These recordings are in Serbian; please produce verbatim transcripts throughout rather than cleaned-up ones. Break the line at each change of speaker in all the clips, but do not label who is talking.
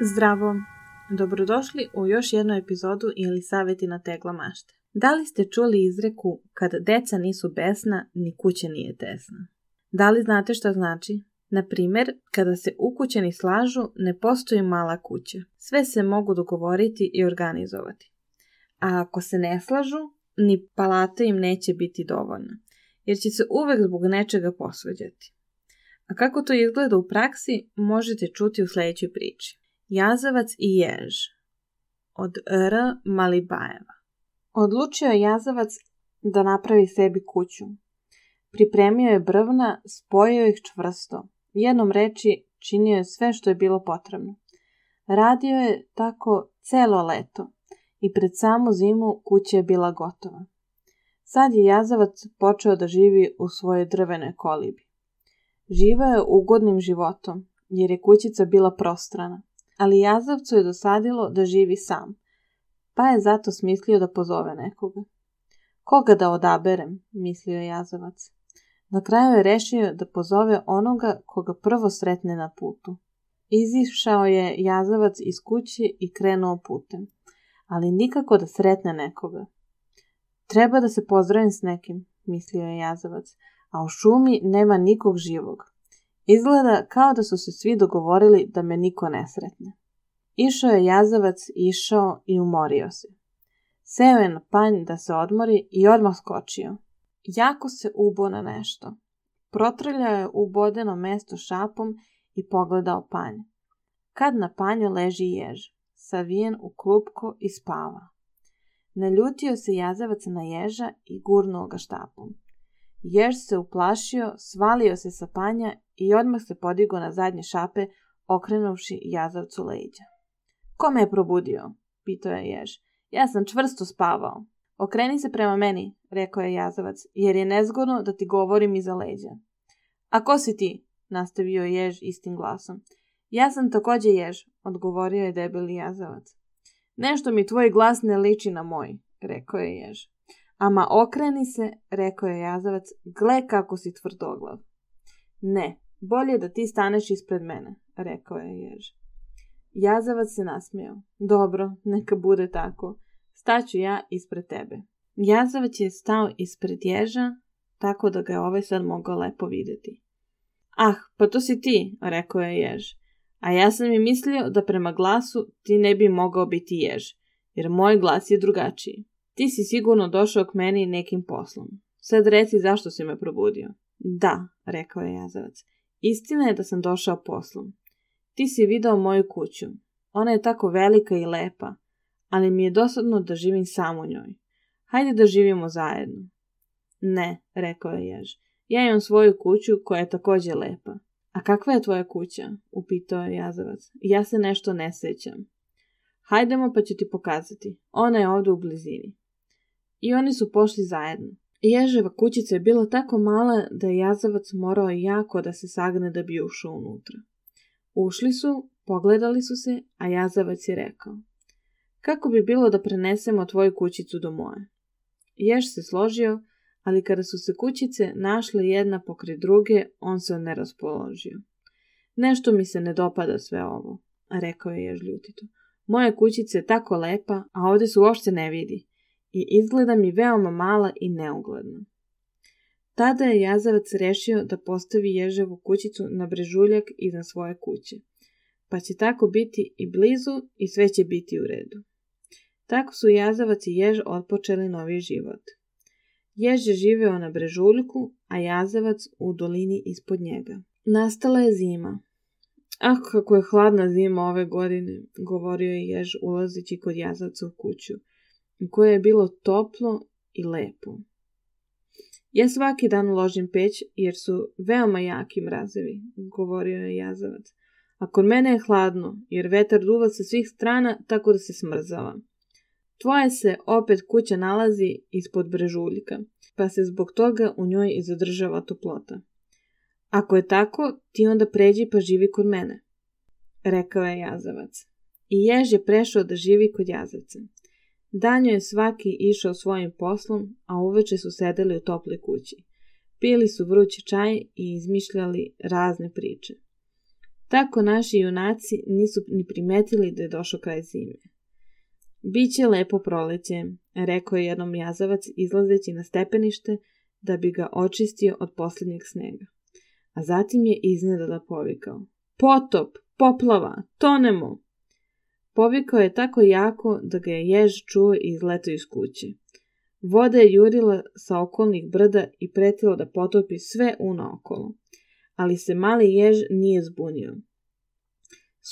Zdravo! Dobrodošli u još jednu epizodu ili savjeti na tegla mašte. Da li ste čuli izreku kad deca nisu besna, ni kuća nije tesna? Da li znate šta znači? Na primjer, kada se ukućani slažu, ne postoji mala kuća. Sve se mogu dogovoriti i organizovati. A ako se ne slažu, ni palata im neće biti dovoljna, jer će se uvek zbog nečega posvađati. A kako to izgleda u praksi, možete čuti u sljedećoj priči. Jazavac i jež od R. Malibajeva. Odlučio je jazavac da napravi sebi kuću. Pripremio je brvna, spojio ih čvrsto. Jednom reči činio je sve što je bilo potrebno. Radio je tako celo leto i pred samu zimu kuća je bila gotova. Sad je jazavac počeo da živi u svojoj drvenoj kolibi. Živeo je ugodnim životom, jer je kućica bila prostrana. Ali jazavcu je dosadilo da živi sam, pa je zato smislio da pozove nekoga. Koga da odaberem, mislio je jazavac. Na kraju je rešio da pozove onoga koga prvo sretne na putu. Izišao je jazavac iz kuće i krenuo putem, ali nikako da sretne nekoga. Treba da se pozdravim s nekim, mislio je jazavac, a u šumi nema nikog živog. Izgleda kao da su se svi dogovorili da me niko ne sretne. Išao je jazavac, išao i umorio se. Seo je na panj da se odmori i odmah skočio. Jako se ubo na nešto. Protrljao je ubodeno mesto šapom i pogledao panj. Kad na panju leži jež, savijen u klupko i spava. Naljutio se jazavac na ježa i gurnuo ga štapom. Jež se uplašio, svalio se sa panja i odmah se podigao na zadnje šape, okrenuvši jazavcu leđa. Ko me je probudio? Pitao je jež. Ja sam čvrsto spavao. Okreni se prema meni, rekao je jazavac, jer je nezgodno da ti govorim iza leđa. A ko si ti? Nastavio je jež istim glasom. Ja sam također jež, odgovorio je debeli jazavac. Nešto mi tvoj glas ne liči na moj, rekao je jež. Ama okreni se, rekao je jazavac, gle kako si tvrdoglav. Ne, bolje da ti staneš ispred mene, rekao je jež. Jazavac se nasmijao. Dobro, neka bude tako. Staću ja ispred tebe. Jazavac je stao ispred ježa, tako da ga je ovaj sad mogao lepo vidjeti. Ah, pa to si ti, rekao je jež. A ja sam i mislio da prema glasu ti ne bi mogao biti jež, jer moj glas je drugačiji. Ti si sigurno došao k meni nekim poslom. Sad reci zašto si me probudio. Da, rekao je jazavac. Istina je da sam došao poslom. Ti si video moju kuću. Ona je tako velika i lepa, ali mi je dosadno da živim sam u njoj. Hajde da živimo zajedno. Ne, rekao je jež. Ja imam svoju kuću koja je također lepa. A kakva je tvoja kuća? Upitao je jazavac. Ja se nešto ne sjećam. Hajdemo pa ću ti pokazati. Ona je ovdje u blizini. I oni su pošli zajedno. Ježeva kućica je bila tako mala da je jazavac morao jako da se sagne da bi ušao unutra. Ušli su, pogledali su se, a jazavac je rekao. Kako bi bilo da prenesemo tvoju kućicu do moje? Jež se složio, ali kada su se kućice našle jedna pokraj druge, on se ne raspoložio. Nešto mi se ne dopada sve ovo, rekao je jež ljutito. Moja kućica je tako lepa, a ovdje se uopšte ne vidi i izgleda mi veoma mala i neugledna. Tada je jazavac rešio da postavi ježevu kućicu na brežuljak iznad svoje kuće, pa će tako biti i blizu i sve će biti u redu. Tako su jazavac i jež otpočeli novi život. Jež je živeo na brežuljku, a jazavac u dolini ispod njega. Nastala je zima. Ah, kako je hladna zima ove godine, govorio je jež ulazeći kod jazavca u kuću, u kojoj je bilo toplo i lepo. Ja svaki dan ložim peć jer su veoma jaki mrazevi, govorio je jazavac. A kod mene je hladno jer vetar duva sa svih strana tako da se smrzava. Tvoja se opet kuća nalazi ispod brežuljka, pa se zbog toga u njoj i zadržava toplota. Ako je tako, ti onda pređi pa živi kod mene, rekao je jazavac. I jež je prešao da živi kod jazavca. Danjo je svaki išao svojim poslom, a uveče su sedeli u toploj kući. Pili su vrući čaj i izmišljali razne priče. Tako naši junaci nisu ni primetili da je došao kraj zime. Biće lepo proleće, rekao je jednom jazavac izlazeći na stepenište da bi ga očistio od posljednjeg snega. A zatim je iznenada povikao. Potop, poplava, tonemo! Povikao je tako jako da ga je jež čuo i izletao iz kuće. Voda je jurila sa okolnih brda i pretila da potopi sve unaokolo, ali se mali jež nije zbunio.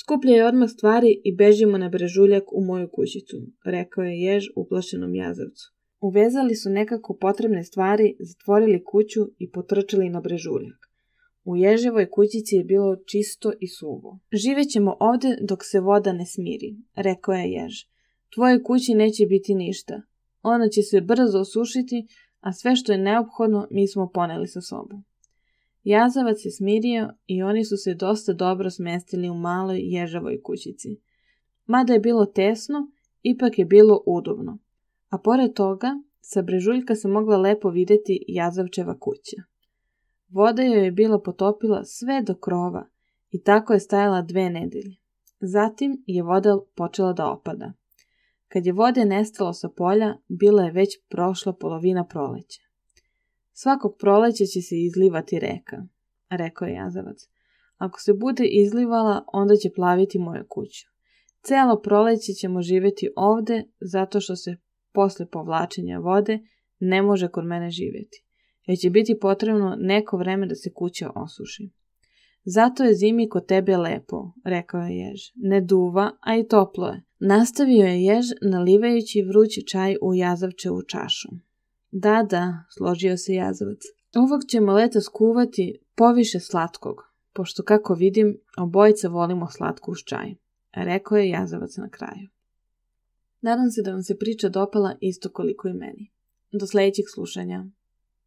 Skupljaj odmah stvari i bežimo na brežuljak u moju kućicu, rekao je jež uplašenom jazavcu. Uvezali su nekako potrebne stvari, zatvorili kuću i potrčali na brežuljak. U ježevoj kućici je bilo čisto i suvo. Živećemo ovde dok se voda ne smiri, rekao je jež. Tvojoj kući neće biti ništa. Ona će se brzo osušiti, a sve što je neophodno mi smo poneli sa sobom. Jazavac se smirio i oni su se dosta dobro smestili u maloj ježevoj kućici. Mada je bilo tesno, ipak je bilo udobno. A pored toga, sa brežuljka se mogla lepo vidjeti jazavčeva kuća. Voda joj je bila potopila sve do krova i tako je stajala dve nedelje. Zatim je voda počela da opada. Kad je vode nestalo sa polja, bila je već prošla polovina proleća. Svakog proleća će se izlivati reka, rekao je jazavac. Ako se bude izlivala, onda će plaviti moju kuću. Cijelo proleće ćemo živjeti ovde, zato što se posle povlačenja vode ne može kod mene živjeti. Jer će biti potrebno neko vreme da se kuća osuši. Zato je zimi kod tebe lepo, rekao je jež. Ne duva, a i toplo je. Nastavio je jež nalivajući vrući čaj u jazavčevu čašu. Da, da, složio se jazavac. Ovog ćemo leta skuvati poviše slatkog, pošto kako vidim, obojica volimo slatku uz čaj, rekao je jazavac na kraju. Nadam se da vam se priča dopala isto koliko i meni. Do sljedećeg slušanja.